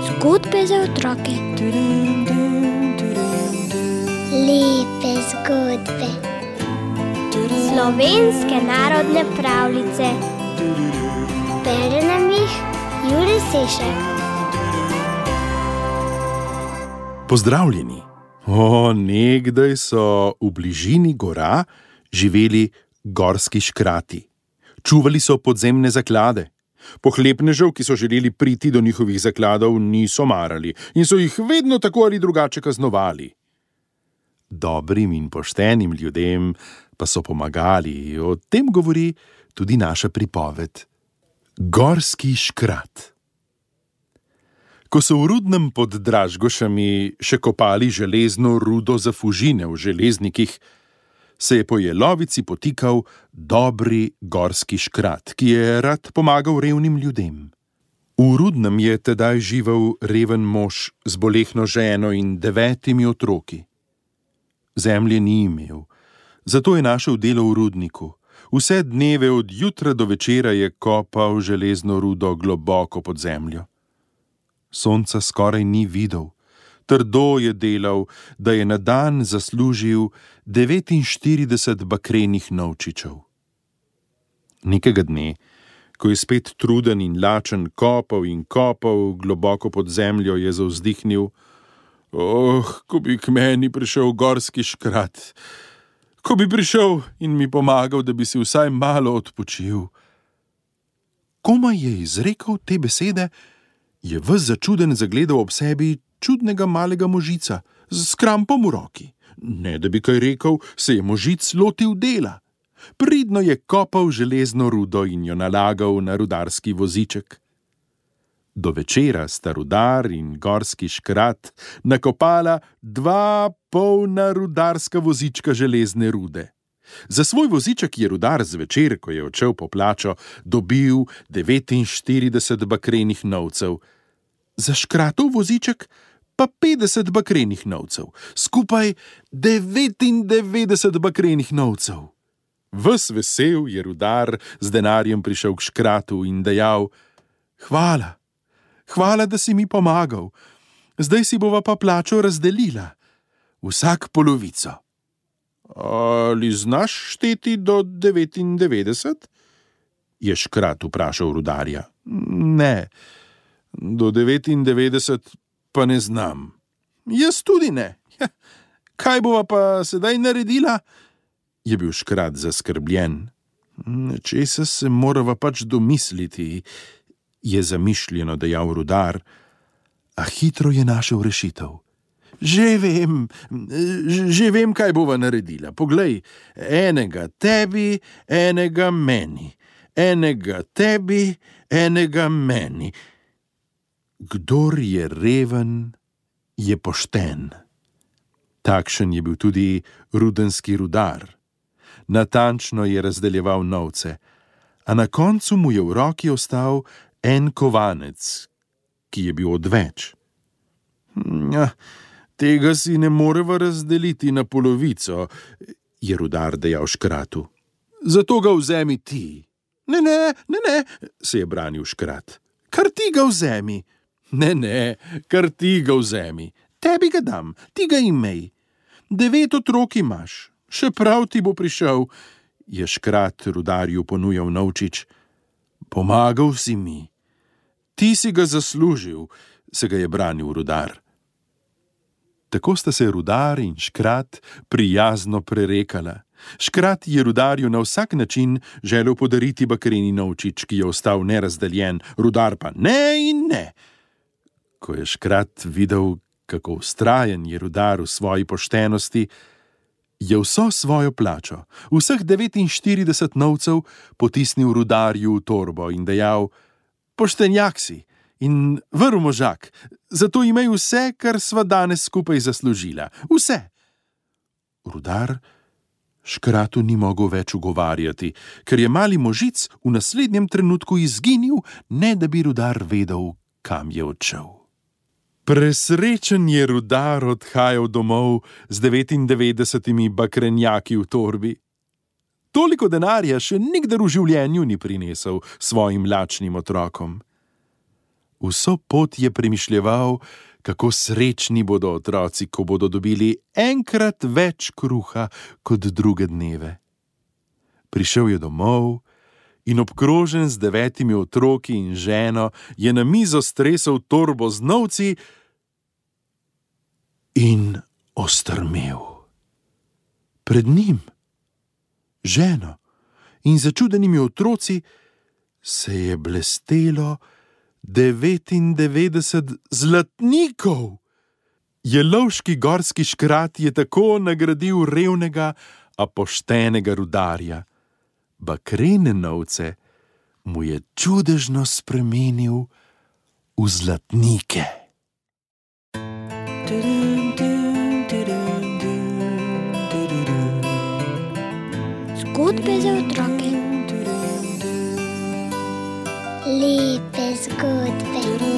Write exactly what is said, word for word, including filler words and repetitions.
Zgodbe za otroke. Lepe zgodbe. Slovenske narodne pravljice. Bere nam jih Jure Sešek. Pozdravljeni! O, nekdaj so v bližini gora živeli gorski škrati. Čuvali so podzemne zaklade. Pohlepnežev, ki so želeli priti do njihovih zakladov, niso marali in so jih vedno tako ali drugače kaznovali. Dobrim in poštenim ljudem pa so pomagali. O tem govori tudi naša pripoved. Gorski škrat. Ko so v Rudnem pod Dražgošami še kopali železno rudo za fužine v železnikih, se je po jelovici potikal dobri gorski škrat, ki je rad pomagal revnim ljudem. V Rudnem je tedaj živel reven mož z bolehno ženo in devetimi otroki. Zemlje ni imel, zato je našel delo v rudniku. Vse dneve od jutra do večera je kopal železno rudo globoko pod zemljo. Sonca skoraj ni videl. Trdo je delal, da je na dan zaslužil devetinštirideset bakrenih novčičev. Nekega dne, ko je spet truden in lačen kopal in kopal globoko pod zemljo, je zavzdihnil: Oh, ko bi k meni prišel gorski škrat, ko bi prišel in mi pomagal, da bi si vsaj malo odpočil. Komaj je izrekel te besede, je ves začuden zagledal ob sebi čudnega malega možica s krampom v roki. Ne da bi kaj rekel, se je možic lotil dela. Pridno je kopal železno rudo in jo nalagal na rudarski voziček. Do večera sta rudar in gorski škrat nakopala dva polna rudarska vozička železne rude. Za svoj voziček je rudar zvečer, ko je odšel po plačo, dobil devetinštirideset bakrenih novcev. Za škratov voziček pa petdeset bakrenih novcev, skupaj devetindevetdeset bakrenih novcev. Ves vesel je rudar z denarjem prišel k škratu in dejal: Hvala, hvala, da si mi pomagal. Zdaj si bova pa plačo razdelila, vsak polovico. Ali znaš šteti do devetindevetdeset? Je škrat vprašal rudarja. Ne, do devetindevetdeset pa ne znam. Jaz tudi ne. Ja, kaj bova pa sedaj naredila? Je bil škrat zaskrbljen. Česa se morava pač domisliti, je zamišljeno dejal rudar, a hitro je našel rešitev. Že vem, že vem, kaj bova naredila. Poglej, enega tebi, enega meni. Enega tebi, enega meni. Kdor je reven, je pošten. Takšen je bil tudi rudenski rudar. Natančno je razdeljeval novce, a na koncu mu je v roki ostal en kovanec, ki je bil odveč. Ja, tega si ne moreva razdeliti na polovico, je rudar dejal škratu. Zato ga vzemi ti. Ne, ne, ne, ne, se je branil škrat. Kar ti ga vzemi. Ne, ne, kar ti ga vzemi. Tebi ga dam, ti ga imej. Devet otrok imaš, še prav ti bo prišel, je škrat rudarju ponujal novčič. Pomagal si mi. Ti si ga zaslužil, se ga je branil rudar. Tako sta se rudar in škrat prijazno prerekala. Škrat je rudarju na vsak način želel podariti bakreni novčič, ki je ostal nerazdeljen, rudar pa ne in ne. Ko je škrat videl, kako vztrajen je rudar v svoji poštenosti, je vso svojo plačo, vseh devetinštirideset novcev, potisnil rudarju v torbo in dejal: Poštenjak si in vrl možak, zato imej vse, kar sva danes skupaj zaslužila. Vse. Rudar škratu ni mogel več ugovarjati, ker je mali možic v naslednjem trenutku izginil, ne da bi rudar vedel, kam je odšel. Presrečen je rudar odhajal domov z devetindevetdesetimi bakrenjaki v torbi. Toliko denarja še nikdar v življenju ni prinesel svojim lačnim otrokom. Vso pot je premišljeval, kako srečni bodo otroci, ko bodo dobili enkrat več kruha kot druge dneve. Prišel je domov in obkrožen z devetimi otroki in ženo je na mizo stresel torbo z novci in ostrmel. Pred njim, ženo in začudenimi otroci se je blestelo devetindevetdeset zlatnikov. Jelovški gorski škrat je tako nagradil revnega, a poštenega rudarja. Bakrene novce mu je čudežno spremenil v zlatnike. Zgodbe za otroke. Lepe zgodbe.